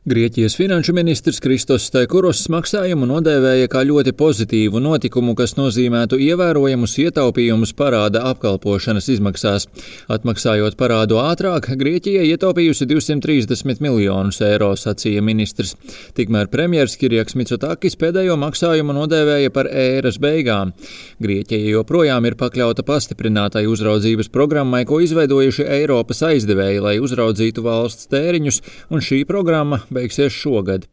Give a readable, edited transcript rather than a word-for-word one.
Grieķijas finanšu ministrs Kristos Steikuros maksājumu nodēvēja kā ļoti pozitīvu notikumu, kas nozīmētu ievērojamus ietaupījumus parāda apkalpošanas izmaksās. Atmaksājot parādu ātrāk, Grieķija ietaupījusi 230 miljonus eiro, sacīja ministrs. Tikmēr premjers Kirjaks Mitsotakis pēdējo maksājumu nodēvēja par ēras beigām. Grieķija joprojām ir pakļauta pastiprinātai uzraudzības programmai, ko izveidojuši Eiropas aizdevēji, lai uzraudzītu valsts tēriņus, un šī programma beigsies šogad.